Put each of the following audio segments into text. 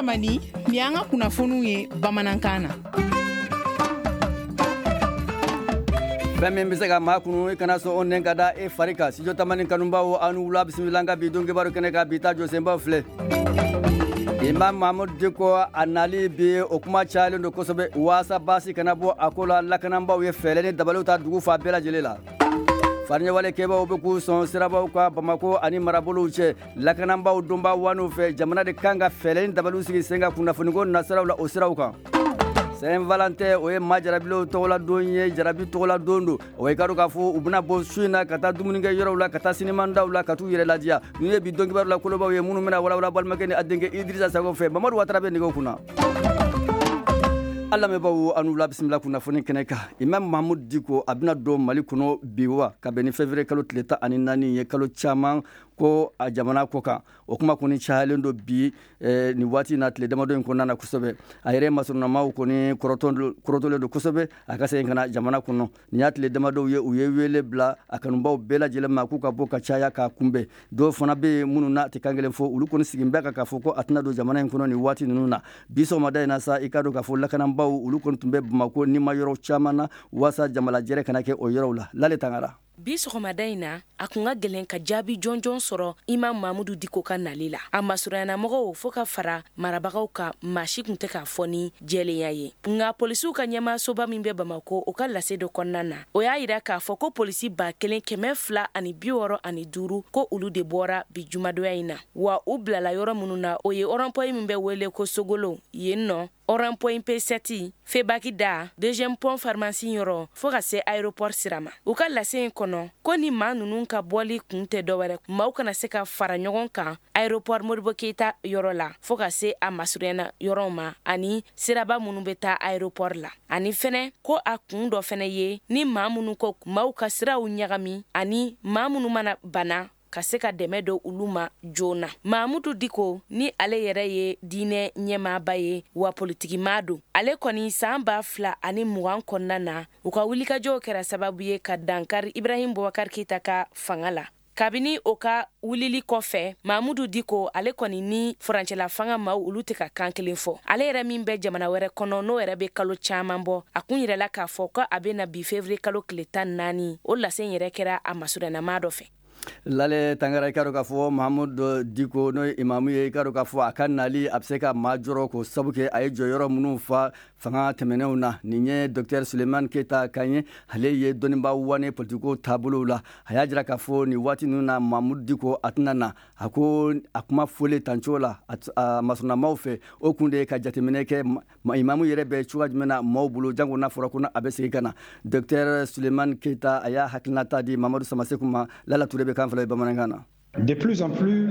Tamani, nin y'an ka kunnafoniw ye bamanankan na. Fɛn min bɛ se ka maa kunu, i kana sɔn o nɛn ka da e fari kan. Studio Tamani kanubaw, aw ni wula, bisimila an ka bi don kibaru kɛnɛ kan. Bi ta jɔsenbaw filɛ: Imam Mahmoud Dicko a nali bi, o kuma cayalen don kosɛbɛ. Waasa baasi kana bɔ a ko la, lakanabaaw ye fɛɛrɛ ni dabaliw ta dugu fan bɛɛ lajɛlen la. Fariɲɛwale kɛbaw bɛ k'u sɔn sirabaw kan Bamako ani marabolow cɛ. Lakanabaaw donba waniw fɛ, jamana de kan ka fɛɛrɛ ni dabaliw sigi sen kan kunnafoniko nasiraw la, o siraw kan. Saint Valentin, o ye maa jarabilenw tɔgɔla don ye, jarabi tɔgɔla don don. O ye ka dɔn k'a fɔ u bɛna bɔ su in na ka taa dumunikɛ yɔrɔw la, ka taa sinimandaw la, ka t'u yɛrɛ ladiya. Ninnu ye bi don kibaru la kolobaw ye minnu bɛna walawala balimakɛ ni a denkɛ Idrissa Sago fɛ. Mamadu Watara bɛ nɛgɛw kunna. An lamɛnbaaw, an wula, bisimila kunnafoni kɛnɛ kan. Imam Mahmoud Dicko a bɛna don Mali kɔnɔ bi wa ka bɛn ni février kalo tile 14 ye. Kalo caman ko a jamana kɔ kan, o kuma kɔni cayalen don bi nin waati na, tile damadɔ in kɔnɔna na kosɛbɛ. A yɛrɛ masurunamaw kɔni kɔrɔtɔlen don kosɛbɛ a ka segin ka na jamana kɔnɔ. Nin y'a tile damadɔw ye, u ye wele bila a kanubaw bɛɛ lajɛlen ma k'u ka bɔ ka caya k'a kunbɛn. Dɔw fana bɛ yen minnu n'a tɛ kan kelen fɔ, olu kɔni sigin bɛ kan k'a fɔ ko a tɛna don jamana in kɔnɔ nin waati ninnu na. Bi sɔgɔmada in na sa, i ka dɔn k'a fɔ lakanabaaw, olu kɔni tun bɛ Bamako nima yɔrɔ caman na waasa jamalajɛrɛ kana kɛ o yɔrɔw la. Lale Tangara. Bi sɔgɔmada in na, a kun ka gɛlɛn ka jaabi jɔnjɔn sɔrɔ Imam Mamudu Diko ka nali la. A masurunyanamɔgɔw fo ka fara marabagaw kan, maa si tun tɛ k'a fɔ ni jɛlenya ye. Nka polisiw ka ɲɛmaasoba min bɛ Bamako, o ka lase dɔ kɔnɔna na, o y'a yira k'a fɔ ko polisi 1265, ko olu de bɔra bi jumadonya in na. Wa u bilala yɔrɔ minnu na, o ye rond-point min bɛ wele ko Sogolo yen nɔ, rond-point P7, Febaki da, deuxième pont pharmacie yɔrɔ, fo ka se aéroport sira ma. U ka lase in kɔnɔ ko ni maa ninnu ka bɔli kun tɛ dɔwɛrɛ, maaw kana se ka fara ɲɔgɔn kan aéroport Modibo Keyita yɔrɔ la fo ka se a masurunyana yɔrɔw ma, ani siraba minnu bɛ taa aéroport la. Ani fɛnɛ ko a kun dɔ fɛnɛ ye ni maa minnu ko maaw ka siraw ɲagami, ani maa minnu mana bana, ka se ka dɛmɛ don olu ma joona. Mamudu Diko ni ale yɛrɛ ye diinɛ ɲɛmaaba ye wa politikimaa don, ale kɔni san 2020 kɔnɔna na, u ka wulikajɔw kɛra sababu ye ka dankari Ibrahim Boubacar Keita ka fanga la. Kabini o ka wulili kɔfɛ, Mamudu Diko ale kɔni ni furancɛla fanga maaw, olu tɛ ka kan kelen fɔ. Ale yɛrɛ min bɛ jamana wɛrɛ kɔnɔ, n'o yɛrɛ bɛ kalo caman bɔ, a kun yɛrɛla k'a fɔ ko a bɛ na bi février kalo tile 14. O lase yɛrɛ kɛra a masurunnama dɔ fɛ. Lale Tangara, i ka dɔn k'a fɔ Mahamudu Diko, n'o ye imamu ye, i ka dɔn k'a fɔ a ka nali a bɛ se ka maa jɔrɔ k'o sabu kɛ a ye jɔyɔrɔ minnu fa fanga tɛmɛnenw na. Nin ye docteur Suleiman Keyita kan ye, ale ye dɔnnibaa wane politiko taabolow la. A y'a jira k'a fɔ nin waati ninnu na, Mahamudu Diko a tɛna na. A ko a kuma fɔlen tancogo la a masurunamaw fɛ, o kun de ye ka jateminɛ kɛ imamu yɛrɛ bɛ cogoya jumɛn na maaw bolo, jango n'a fɔra ko a bɛ segin ka na. Docteur Suleiman Keyita, a y'a hakilinata di Mamadu Samaseku ma. Lala Ture bɛ kan fila ye bamanankan na. De plus en plus.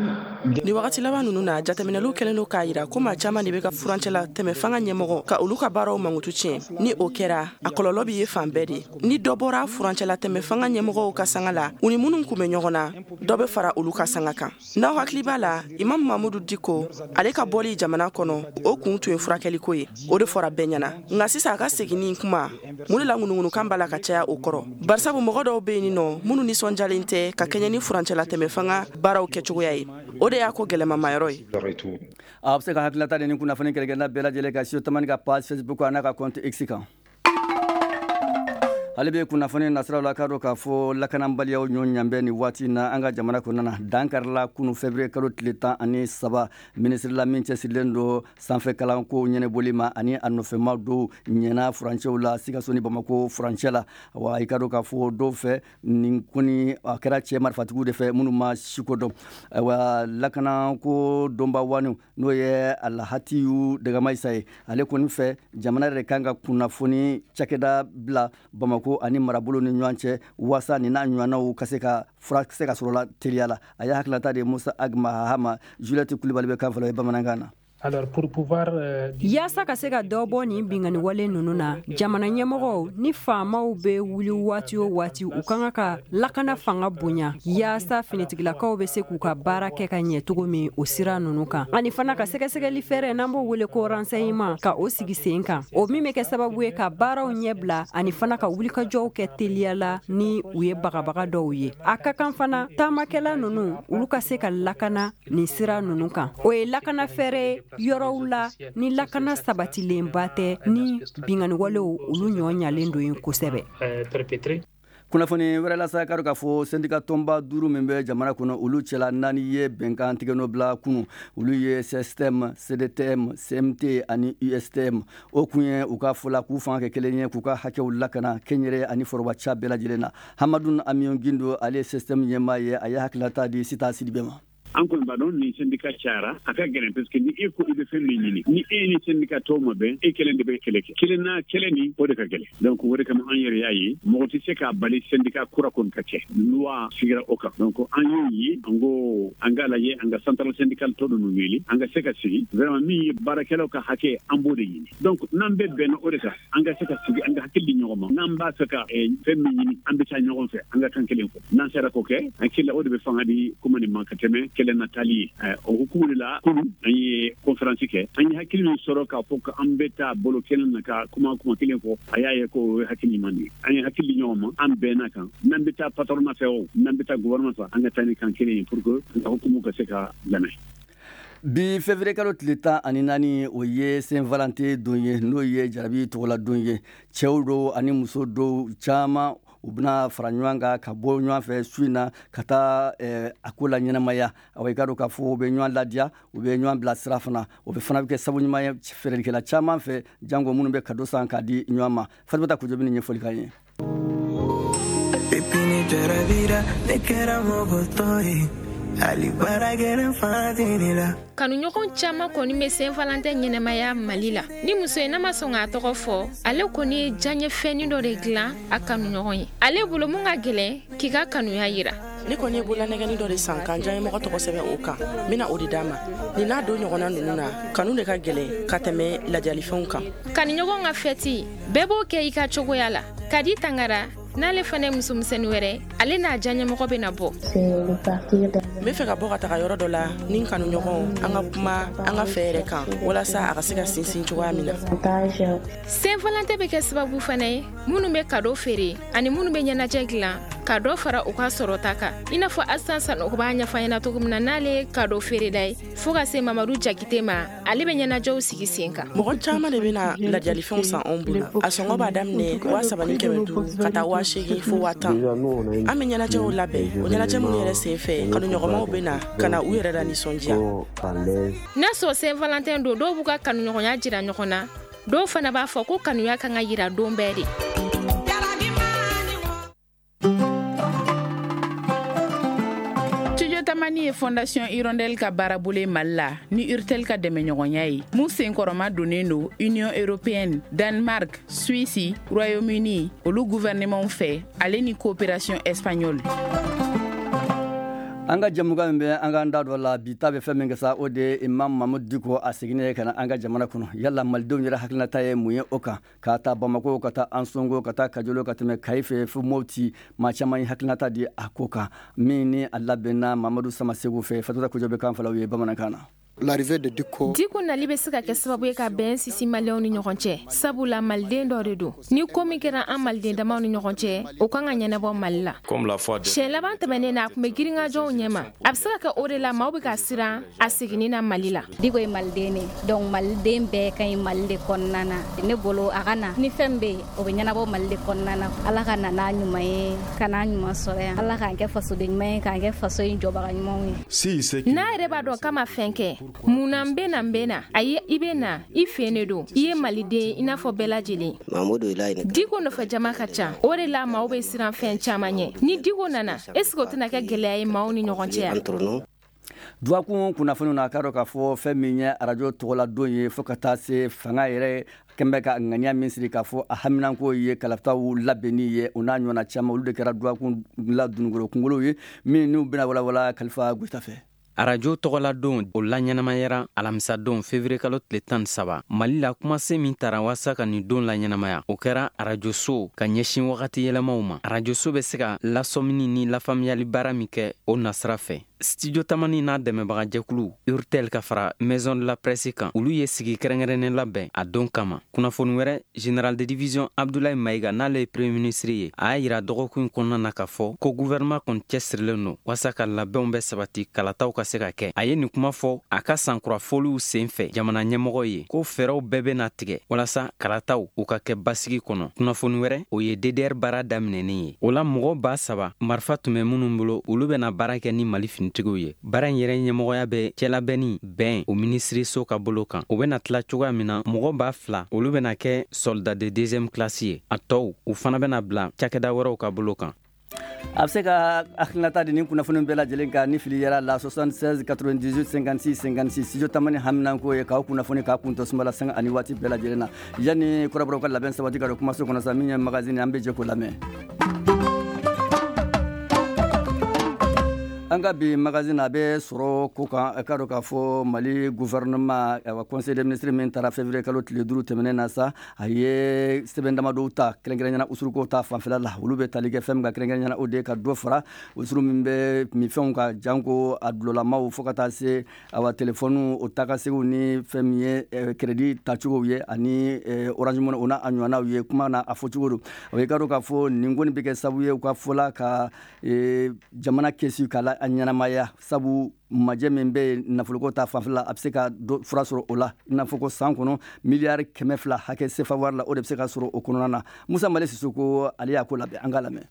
Ni wagati laban ninnu na, jateminɛliw kɛlen don k'a yira ko maa caman de bɛ ka furancɛla tɛmɛ fanga ɲɛmɔgɔ ka olu ka baaraw mankutu tiɲɛ. Ni o kɛra, a kɔlɔlɔ bɛ ye fan bɛɛ de. Ni dɔ bɔra furancɛla tɛmɛ fanga ɲɛmɔgɔw ka sanga la, u ni minnu kun bɛ ɲɔgɔn na, dɔ bɛ fara olu ka sanga kan. N'aw hakili b'a la, Imam Mamudu Diko ale ka bɔli jamana kɔnɔ, o kun tun ye furakɛliko ye, o de fɔra bɛɛ ɲɛna. Nka sisan a ka seginni kuma, mun de la ŋunuŋunukan b'a la ka caya o kɔrɔ? Barisabu mɔgɔ dɔw bɛ yen nɔ minnu nisɔndiyalen tɛ ka kɛɲɛ ni furancɛla tɛmɛ fanga baaraw kɛcogoya ye. O de y'a ko gɛlɛmamayɔrɔ ye. A bɛ se ka hakilinata di ni kunnafoni kɛlɛkɛla bɛɛ lajɛlen ka Studio Tamani ka page Facebook a n'a ka compte X kan. Hali bɛ kunnafoni nasiraw la, k'a dɔn k'a fɔ lakanabaliyaw ɲɔ ɲanbɛ nin waati na an ka jamana kɔnɔna na. Dan karila kunu février kalo tile 13, minisiri la min cɛsirilen don sanfɛ kalanko ɲɛnɛbɔli ma ani a nɔfɛma dɔw ɲɛna furancɛw la, Sikaso ni Bamako furancɛ la. Wa i ka dɔn k'a fɔ dɔw fɛ, nin kɔni a kɛra cɛ marifatigiw de fɛ minnu ma siko dɔn. Ayiwa, lakanako dɔnba wani, n'o ye Alhatiyu Dagamayisa ye, ale kɔni fɛ, jamana yɛrɛ kan ka kunnafoni cakɛda bila Bamako ani marabolo ni ɲɔgɔn cɛ waasa nin n'a ɲɔgɔnnaw ka se ka fura se ka sɔrɔ la teliya la. A y'a hakilinata de Musa Agma Hama. Juliette Kulibali bɛ kan fɔlɔ ye bamanankan na. Yaasa ka se ka dɔ bɔ nin binkanni wale ninnu na, jamana ɲɛmɔgɔw ni faamaw bɛ wuli waati o waati, u ka kan ka lakana fanga bonya yaasa finitigilakaw bɛ se k'u ka baara kɛ ka ɲɛ cogo min o sira ninnu kan, ani fana ka sɛgɛsɛgɛli fɛɛrɛ, n'an b'o wele ko renseignement, ka o sigi sen kan, o min bɛ kɛ sababu ye ka baaraw ɲɛbila ani fana ka wulikajɔw kɛ teliya la ni u ye bagabaga dɔw ye. A ka kan fana taamakɛla ninnu, olu ka se ka lakana nin sira ninnu kan. O ye lakana fɛɛrɛ ye. Yɔrɔw la ni lakana sabatilenba tɛ, ni binkanniwalew olu ɲɔ ɲalen don yen kosɛbɛ. Kunnafoni wɛrɛ la sa, k'a k'a fɔ syndicat tɔnba duuru min bɛ jamana kɔnɔ, olu cɛla naani ye bɛnkan tigɛnɔ bila kunu. Olu ye CSTM, CDTM, CMT ani USTM. O kun ye, u ka fɔ la, k'u fanga kɛ kelen ye, k'u ka hakɛw lakana kɛnyɛrɛ ani forobaca bɛɛ lajɛlen na. Hamadu Amiyon Gindo, ale ye CSTM ɲɛmaa ye, a ye hakilinata di Sita Sidibe ma. An kɔni b'a dɔn, ni syndicat cayara, a ka gɛlɛn, parce que ni e ko i bɛ fɛn min ɲini, ni e ni syndicat tɔw ma bɛn, e kelen de bɛ kɛlɛ kɛ kelen na, kɛlɛ ni o de ka gɛlɛn. Donc o de kama an yɛrɛ y'a ye, mɔgɔ tɛ se k'a bali syndicat kura kɔni ka kɛ, loi sigira o kan. Donc an y'o ye, an ko an k'a lajɛ, an ka centrale syndicale tɔ ninnu wele, an ka se ka sigi. Vraiment, min ye baarakɛlaw ka hakɛ, an b'o de ɲini. Donc n'an bɛɛ bɛnna o de kan, an ka se ka sigi, an ka hakili di ɲɔgɔn ma. N'an b'a fɛ ka fɛn min ɲini, an bɛ taa ɲɔgɔn fɛ, an ka kan kelen fɔ. N'an sera k'o kɛ, an hakili la, o de bɛ fanga di kuma nin ma ka tɛmɛ kɛlɛ na taali ye. O hukumu de la, kunun an ye conférence kɛ. An ye hakili min sɔrɔ k'a fɔ ko an bɛ taa bolo kelen na ka kuma kuma kelen fɔ, a y'a ye ko o ye hakili ɲuman de ye. An ye hakili di ɲɔgɔn ma, an bɛnna kan, n'an bɛ taa patronat fɛ o, n'an bɛ taa gouvernement fɛ, an ka taa ni kan kelen ye pour que an ka hukumu ka se ka lamɛn. Bi février kalo tile 14, o ye Saint Valentin don ye, n'o ye jarabi tɔgɔla don ye. Cɛw dɔw ani muso dɔw caman, u bɛna fara ɲɔgɔn kan ka bɔ ɲɔgɔn fɛ su in na ka taa a ko la ɲɛnamaya. Awa, i ka dɔn k'a fɔ u bɛ ɲɔgɔn ladiya, u bɛ ɲɔgɔn bila sira fana. O bɛ fana bɛ kɛ sabu ɲuman ye feerelikɛla caman fɛ, jango minnu bɛ cadeau san k'a di ɲɔgɔn ma. Fatumata Kojo bɛ nin ɲɛfɔli k'an ye. Depuis ni jarabira, ne kɛra mɔgɔ tɔ ye, hali baara gɛlɛn fanga tɛ ne la. Kanuɲɔgɔn caaman kɔni bɛ Saint Valentin ɲɛnɛmaya Mali la. Ni muso ye n'a ma sɔn k'a tɔgɔ fɔ, ale kɔni ye diyaɲɛfɛnnin dɔ de dilan a kanuɲɔgɔn ye. Ale bolo, mun ka gɛlɛn k'i ka kanuya yira? Ne kɔni ye bololanɛgɛni dɔ de san k'an diyaɲɛmɔgɔ tɔgɔ sɛbɛn o kan. N bɛna o de d'a ma. Nin n'a don ɲɔgɔnna ninnu na, kanu de ka gɛlɛn ka tɛmɛ ladiyalifɛnw kan. Kanuɲɔgɔn ka fɛti, bɛɛ b'o kɛ i ka cogoya la. Kadi Tangara n'ale fana ye musomisɛnnin wɛrɛ, ale n'a diyaɲɛmɔgɔ bɛna bɔ. N bɛ fɛ ka bɔ ka taga yɔrɔ dɔ la ni n kanuɲɔgɔn, an ka kuma an ka fɛ yɛrɛ kan, walasa a ka se ka sinsin cogoya min na. Saint Valentin bɛ kɛ sababu fana ye, minnu bɛ cadeau feere ani minnu bɛ ɲɛnajɛ dilan, ka dɔ fara u ka sɔrɔta kan, i n'a fɔ Asan Sanogo b'a ɲɛfɔ ɲɛna cogo min na, n'ale ye cadeau feerela ye, fo ka se Mamadu Jakite ma, ale bɛ ɲɛnajɛw sigi sen kan. Mɔgɔ caman de bɛna ladiyalifɛnw san anw bolo. A sɔngɔ b'a daminɛ 3500 ka taa 8000 fo 10,000. An bɛ ɲɛnajɛw labɛn, o ɲɛnajɛ minnu yɛrɛ sen fɛ, kanuɲɔgɔnmaw bɛ na ka na u yɛrɛ la nisɔndiya. N'a sɔrɔ Saint Valentin don, dɔw b'u ka kanuɲɔgɔnya jira ɲɔgɔn na, dɔw fana b'a fɔ ko kanuya kan ka yira don bɛɛ de. Studio Tamani ye Fondation Hirondelle ka baarabolo ye Mali la ni Urtel ka dɛmɛɲɔgɔnya ye, mun senkɔrɔma donnen don Union européenne, Danemark, Suisse, Royaume-Uni olu gouvernement fɛ, ale ni coopération espagnole. An ka jamukan min bɛ an k'an da dɔ la bi ta bɛ fɛn min kɛ sa, o de ye Imam Mamudu Diko a seginnen ka na an ka jamana kɔnɔ. Yala malidenw yɛrɛ hakilinata ye mun ye o kan? K'a ta Bamako ka taa Ansongo, ka taa Kajolo, ka tɛmɛ Kayi fɛ fo Mopti, maa caman ye hakilinata di a ko kan. Min ni a labɛnna Mamadu Samasegu fɛ, Fatumata Kojo bɛ kan falaw ye bamanankan na. L'arrivée de Dicko. Diko nali bɛ se ka kɛ sababu ye ka bɛn sisi maliyɛnw ni ɲɔgɔn cɛ, sabula maliden dɔ de don. Ni ko min kɛra an maliden damaw ni ɲɔgɔn cɛ, o kan ka ɲɛnabɔ Mali la. Siɲɛ laban tɛmɛnen na, a tun bɛ girinkajɔw ɲɛma. A bɛ se ka kɛ o de la maaw bɛ ka siran a seginni na Mali la. Diko ye maliden de, donc maliden bɛɛ ka ɲi Mali de kɔnɔna na. Ne bolo, a ka na ni fɛn bɛ yen, o bɛ ɲɛnabɔ Mali de kɔnɔna na. Ala ka na n'a ɲuman ye, ka n'a ɲuman sɔrɔ yan. Ala k'an kɛ fasoden ɲuman ye, k'an kɛ faso in jɔbaga ɲumanw ye. N'a yɛrɛ b'a dɔn k'a ma fɛn kɛ, mun na n bɛ na, n bɛ na? Ayi, i bɛ na i fɛ de don, i ye maliden i n'a fɔ bɛɛ lajɛlen. Diko nɔfɛ jama ka ca, o de la maaw bɛ siran fɛn caman ɲɛ. Ni Diko nana, est ce que o tɛna kɛ gɛlɛya ye maaw ni ɲɔgɔn cɛ yan? Dugakun kunnafoniw na, k'a dɔn k'a fɔ fɛn min ye arajo tɔgɔladon ye, fo ka taa se fanga yɛrɛ kɛn bɛ ka ŋaniya min siri k'a fɔ a haminanko ye kalataw labɛnni ye, o n'a ɲɔgɔnna caman, olu de kɛra dugakun la dununkɔrɔ kunkolo ye, min n'u bɛna walawala Kalifa Goyita fɛ. Arajo tɔgɔladon, o laɲɛnamayara alamisadon février kalo tile 13 Mali la. Kumasen min tara waasa ka nin don laɲɛnamaya, o kɛra arajoso ka ɲɛsin wagati yɛlɛmaw ma. Arajoso bɛ se ka lasɔmini ni lafaamuyali baara min kɛ o nasira fɛ. Studio Tamani n'a dɛmɛbagajɛkulu Urtel ka fara Maison de la Presse kan, olu ye sigi kɛrɛnkɛrɛnnen labɛn a don kama. Kunnafoni wɛrɛ, général de division Abdoulaye Maïga, n'ale ye premier ministre ye, a y'a yira dɔgɔkun in kɔnɔna na k'a fɔ ko gouvernement kɔni cɛsirilen don walasa ka labɛnw bɛ sabati, kalataw ka se ka kɛ. A ye nin kuma fɔ a ka sankura foliw sen fɛ jamana ɲɛmɔgɔ ye, ko fɛɛrɛw bɛɛ bɛna tigɛ walasa kalataw u ka kɛ basigi kɔnɔ. Kunnafoni wɛrɛ, o ye DDR baara daminɛnen ye. O la, mɔgɔ 3000 marifa tun bɛ minnu bolo, olu bɛna baara kɛ ni Mali finitigiw ye. Baara in yɛrɛ ɲɛmɔgɔya bɛ cɛlabɛnni bɛn o minisiriso ka bolo kan. O bɛna tila cogoya min na, mɔgɔ 2000, olu bɛna kɛ soldat de deuxième classe ye. A tɔw, u fana bɛna bila cakɛda wɛrɛw ka bolo kan. A bɛ se ka hakilinata di ni kunnafoni bɛɛ lajɛlen kan ni fili yɛrɛ la, 76 98 56 56. Studio Tamani haminanko ye k'aw kunnafoni k'a kun tɔ sumala sanga ani waati bɛɛ lajɛlen na. Yanni kɔrɔbɔrɔw ka labɛn sabati ka don kumaso kɔnɔ sa, min ye magazine, an bɛ jɛ k'o lamɛn. An ka bi magazine, a bɛ sɔrɔ ko kan. Ka dɔn k'a fɔ Mali gouvernement, awa, conseil des ministres min taara février kalo tile 5 tɛmɛnen na sa, a ye sɛbɛn damadɔw ta, kɛrɛnkɛrɛnyana usuruko ta fanfɛla la. Olu bɛ tali kɛ fɛn min kan kɛrɛnkɛrɛnyana, o de ye ka dɔ fara usuru min bɛ minfɛnw ka, janko a dulɔlamaw, fo ka taa se, awa, telefɔniw o tagasegiw ni fɛn min ye crédit tacogow ye ani Orange Money, o n'a a ɲɔgɔnnaw ye. Kuma na a fɔcogo don. O ye ka dɔn k'a fɔ nin kɔni bɛ kɛ sababu ye, u ka fɔla, ka jamana kɛsi k'a la a ɲɛnamaya, sabu majɛ min bɛ yen nafoloko ta fanfɛla, a bɛ se ka fura sɔrɔ o la. I n'a fɔ ko san kɔnɔ, miliyari 200 hakɛ sefa wari la, o de bɛ se ka sɔrɔ o kɔnɔna na. Musa Male Sisoko, ale y'a ko labɛn, an k'a lamɛn.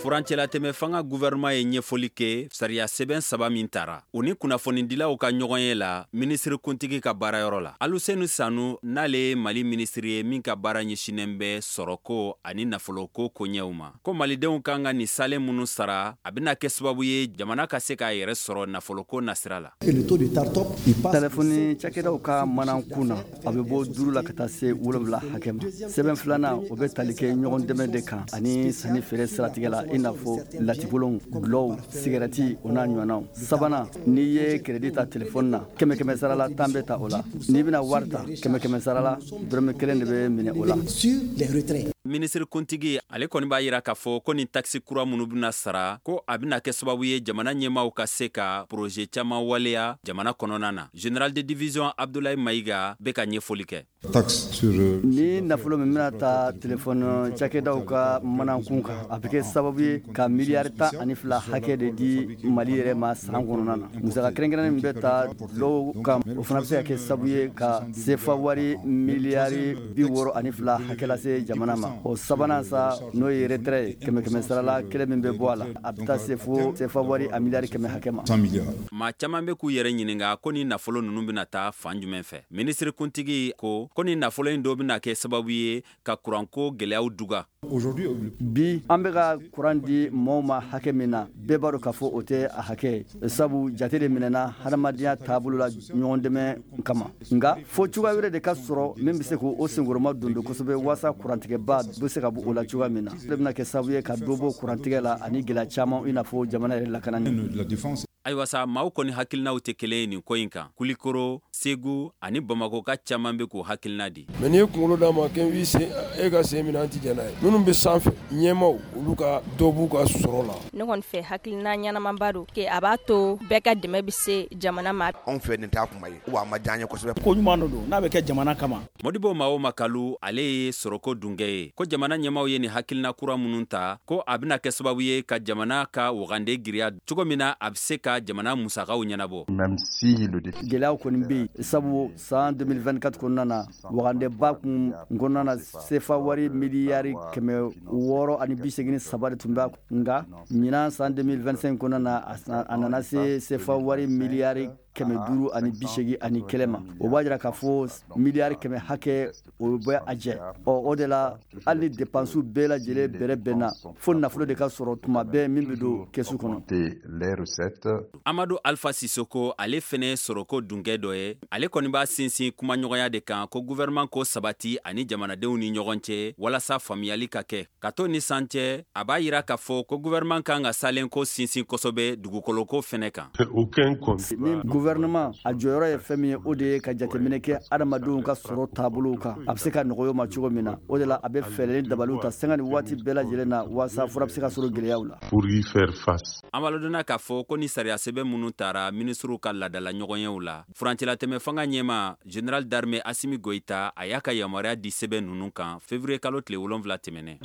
Furancɛlatɛmɛ fanga gouvernement ye ɲɛfɔli kɛ sariya sɛbɛn saba min tara, u ni kunnafonidilaw ka ɲɔgɔn ye la minisiri kuntigi ka baarayɔrɔ la. Aluseni Sanu, n'ale ye Mali minisiri ye min ka baara ɲɛsinnen bɛ sɔrɔko ani nafoloko koɲɛw ma, ko malidenw kan ka nin salen minnu sara, a bɛna kɛ sababu ye jamana ka se k'a yɛrɛ sɔrɔ nafoloko nasira la. Telefɔni cakɛdaw ka mana kun na, a bɛ bɔ 5 la ka taa se 7 hakɛ ma. Sɛbɛn filanan, o bɛ tali kɛ ɲɔgɔn dɛmɛ de kan ani sanni feere siratigɛ la, i n'a fɔ latikolonw, dulɔw, sigɛrɛti, o n'a ɲɔgɔnnaw. Sabanan, n'i ye crédit ta telefɔni na, kɛmɛ kɛmɛ sara la, 10 bɛ ta o la. N'i bɛna wari ta, kɛmɛ kɛmɛ sara la, dɔrɔmɛ 1 de bɛ minɛ o la. Minisiri kuntigi, ale kɔni b'a yira k'a fɔ ko nin taxe kura minnu bɛna sara, ko a bɛna kɛ sababu ye jamana ɲɛmaw ka se ka projet caman waleya jamana kɔnɔna na. Général de division Abdoulaye Maïga bɛ ka ɲɛfɔli kɛ. Ni nafolo min bɛna ta telefɔni cakɛdaw ka manankun kan, a bɛ kɛ sababu ye ka miliyari 12 hakɛ de di Mali yɛrɛ ma san kɔnɔna na. Musaka kɛrɛnkɛrɛnnen min bɛ ta dɔw kan, o fana bɛ se ka kɛ sababu ye ka sefa wari miliyari 62 hakɛ lase jamana ma. O sabanan sa, n'o ye retrait ye, kɛmɛ kɛmɛ sarala kelen min bɛ bɔ a la, a bɛ taa se fo sefa wari a miliyari 100 hakɛ ma. Maa caman bɛ k'u yɛrɛ ɲininka ko ni nafolo ninnu bɛna taa fan jumɛn fɛ. Minisiri kuntigi ko ko ni nafolo in dɔ bɛna kɛ sababu ye ka kuranko gɛlɛyaw duga. Bi, an bɛ ka kuran di mɔɔw ma hakɛ min na, bɛɛ b'a dɔn k'a fɔ o tɛ a hakɛ ye, sabu jate de minɛna hadamadenya taabolo la ɲɔgɔn dɛmɛ kama. Nka fo cogoya wɛrɛ de ka sɔrɔ min bɛ se k'o senkɔrɔma don don kosɛbɛ, waasa kurantigɛba bɛ se ka bɔ o la cogoya min na. O de bɛna kɛ sababu ye ka dɔ bɔ kurantigɛ la ani gɛlɛya caman, i n'a fɔ jamana yɛrɛ lakanani. Ayiwa sa, maaw kɔni hakilinaw tɛ kelen ye nin ko in kan. Kulikoro, Segu ani Bamakɔ ka caman bɛ k'u hakilina di. Mais n'i ye kunkolo d'a ma k'i sen, e ka sen minɛ, an ti jɛn n'a ye. Minnu bɛ sanfɛ, ɲɛmaw, olu ka dɔ b'u ka sɔrɔ la. Ne kɔni fɛ, hakilina ɲɛnamaba don, a b'a to bɛɛ ka dɛmɛ bɛ se jamana ma. Anw fɛ, nin t'a kuma ye wa a ma diya an ye kosɛbɛ. Ko ɲuman dɔ don n'a bɛ kɛ jamana kama. Modibo Mao Makalu, ale ye sɔrɔko dunkɛ ye, ko jamana ɲɛmaw ye nin hakilina kura minnu ta, ko a bɛna kɛ sababu ye ka jamana ka wagande giriya cogo min na, a bɛ se ka jamana musakaw ɲɛnabɔ. Gɛlɛyaw kɔni bɛ yen, sabu san 2024 kɔnɔna na, wagandeba kun kɔnɔna na, sefa wari miliyari 683 de tun bɛ. Nka ɲinan san 2025 kɔnɔna na, a nana se sefa wari miliyari 581 ma. O b'a jira k'a fɔ miliyari 100 hakɛ, o bɛ a jɛ. Ɔ, o de la, hali ni dépenses bɛɛ lajɛlen bɛrɛ bɛnna, fo nafolo de ka sɔrɔ tuma bɛɛ min bɛ don kɛsu kɔnɔ. Amadu Alpha Sisoko, ale fɛnɛ sɔrɔko dunkɛ dɔ ye. Ale kɔni b'a sinsin kumaɲɔgɔnya de kan, ko gouvernement ko sabati ani jamanadenw ni ɲɔgɔn cɛ walasa faamuyali ka kɛ. Ka to ni san cɛ, a b'a yira k'a fɔ ko gouvernement kan ka salen ko sinsin kosɛbɛ dugukoloko fɛnɛ kan. Ni Gouvernement a jɔyɔrɔ ye fɛn min ye, o de ye ka jateminɛ kɛ adamadenw ka sɔrɔ taabolow kan, a bɛ se ka nɔgɔya ma cogo min na. O de la, a bɛ fɛɛrɛ ni dabaliw ta sanga ni waati bɛɛ lajɛlen na, waasa fura bɛ se ka sɔrɔ gɛlɛyaw la. Pour y faire face. An b'a ladɔnniya k'a fɔ ko ni sariya sɛbɛn minnu tara minisiriw ka laadala ɲɔgɔnyew la, furancɛlatɛmɛ fanga ɲɛmaa, général d'armée Asimi Goïta, a y'a ka yamaruya di sɛbɛn ninnu kan février kalo tile 7 tɛmɛnen.